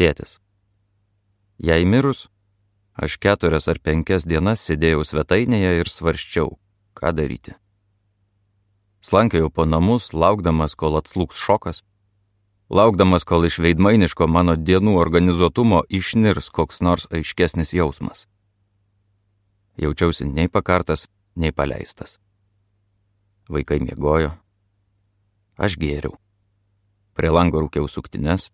Tėtis. Jei mirus, aš 4 ar 5 dienas sėdėjau svetainėje ir svarsčiau, ką daryti. Slankėjau po namus, laukdamas, kol atslūgs šokas, laukdamas, kol iš veidmainiško mano dienų organizuotumo išnirs koks nors aiškesnis jausmas. Jaučiausi nei pakartas, nei paleistas. Vaikai miegojo. Aš gėriau. Prie lango rūkiau suktines.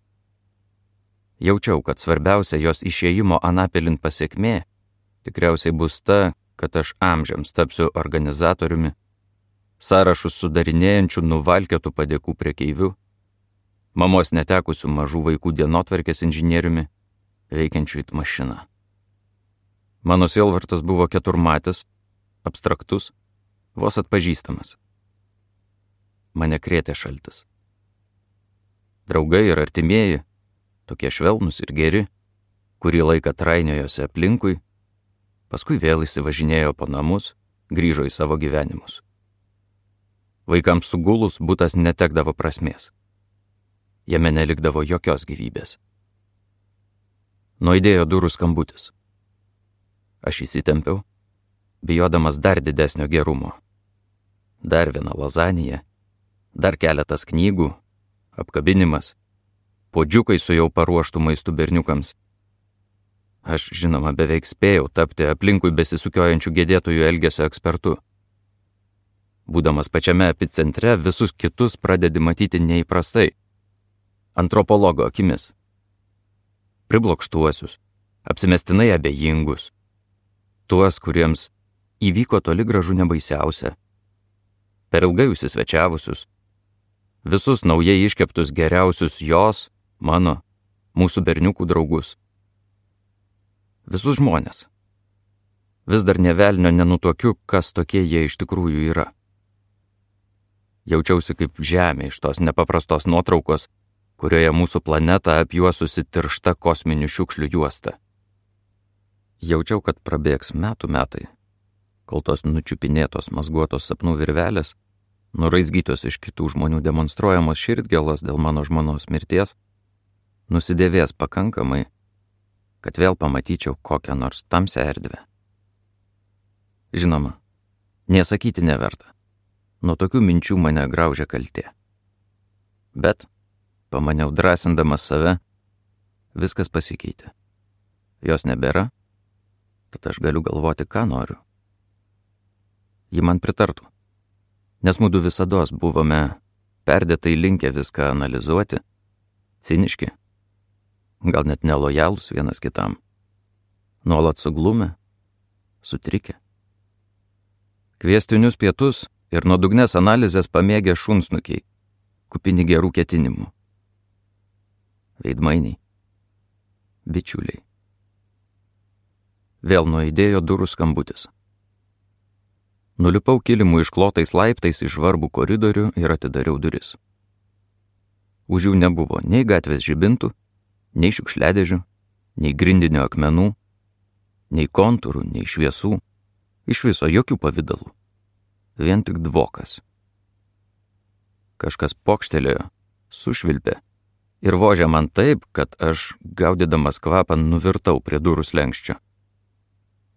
Jaučiau, kad svarbiausia jos išėjimo anapilin pasiekmė tikriausiai bus ta, kad aš amžiams tapsiu organizatoriumi, sąrašus sudarinėjančių nuvalkėtų padėkų prekeivių, mamos netekusių mažų vaikų dienotvarkės inžinieriumi, veikiančių it mašiną. Mano sielvartas buvo keturmatis, abstraktus, vos atpažįstamas. Mane krėtė šaltis. Draugai ir artimieji, tokie švelnūs ir geri, kurį laiką trainiojosi aplinkui, paskui vėl įsivažinėjo po namus, grįžo į savo gyvenimus. Vaikams sugulus butas netekdavo prasmės. Jame nelikdavo jokios gyvybės. Nuaidėjo durų skambutis. Aš įsitempiau, bijodamas dar didesnio gerumo. Dar viena lazanija, dar keletas knygų, apkabinimas, puodžiukai su jau paruoštų maistų berniukams. Aš, žinoma, beveik spėjau tapti aplinkui besisukiojančių gedėtojų elgesio ekspertu. Būdamas pačiame epicentre, visus kitus pradedi matyti neįprastai, antropologo akimis. Priblokštuosius, apsimestinai abejingus, tuos, kuriems įvyko toli gražu nebaisiausia, per ilgai užsisvečiavusius, visus naujai iškeptus geriausius jos, mano, mūsų berniukų draugus. Visus žmonės. Vis dar nė velnio nenutuokiu, kas tokie jie iš tikrųjų yra. Jaučiausi kaip žemė iš tos nepaprastos nuotraukos, kurioje mūsų planetą apjuosusi tiršta kosminių šiukšlių juosta. Jaučiau, kad prabėgs metai, kol tos nučiupinėtos mazguotos sapnų virvelės, nuraizgytos iš kitų žmonių demonstruojamos širdgėlos dėl mano žmonos mirties, nusidėvės pakankamai, kad vėl pamatyčiau kokią nors tamsią erdvę. Žinoma, nesakyti neverta. Nuo tokių minčių mane graužia kaltė. Bet, pamaniau drąsindamas save, viskas pasikeitė. Jos nebėra, tad aš galiu galvoti, ką noriu. Ji man pritartų, nes mudu visados buvome perdėtai linkę viską analizuoti, ciniški, gal net nelojalūs vienas kitam, nuolat suglumę, sutrikę. Kviestinius pietus ir nuodugnes analizės pamėgę šunsnukiai, kupini gerų ketinimų. Veidmainiai, bičiuliai. Vėl nuaidėjo durų skambutis. Nulipau kilimų išklotais laiptais į žvarbų koridorių ir atidariau duris. Už jų nebuvo nei gatvės žibintų, nei šiukšliadėžių, nei grindinio akmenų, nei kontūrų, nei šviesų, iš viso jokių pavidalų. Vien tik dvokas. Kažkas pokštelėjo, sušvilpė ir vožė man taip, kad aš, gaudydamas kvapą, nuvirtau prie durų slenkščio.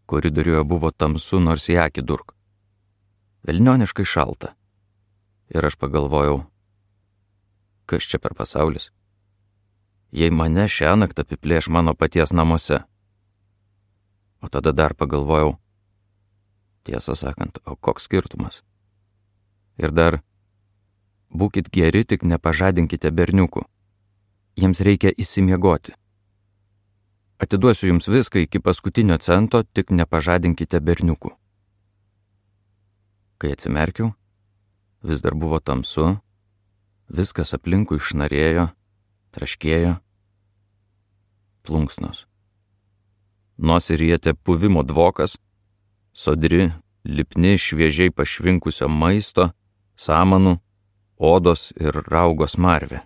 Koridoriuje buvo tamsu, nors į akį durk. Velnioniškai šalta. Ir aš pagalvojau, kas čia per pasaulis? Jei mane šiąnakt apiplėš mano paties namuose. O tada dar pagalvojau, tiesą sakant, o koks skirtumas? Ir dar, būkit geri, tik nepažadinkite berniukų. Jiems reikia įsimiegoti. Atiduosiu jums viską iki paskutinio cento, tik nepažadinkite berniukų. Kai atsimerkiau, vis dar buvo tamsu, viskas aplinkui šnarėjo, traškėjo. Plunksnos. Nosį rietė puvimo dvokas, sodri, lipni, šviežiai pašvinkusio maisto, samanų, odos ir raugo smarvė.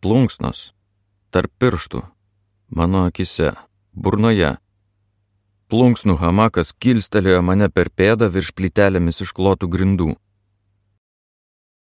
Plunksnos, tarp pirštų, mano akise, burnoje. Plunksnų hamakas kilstelėjo mane per pėdą virš plytelėmis išklotų grindų.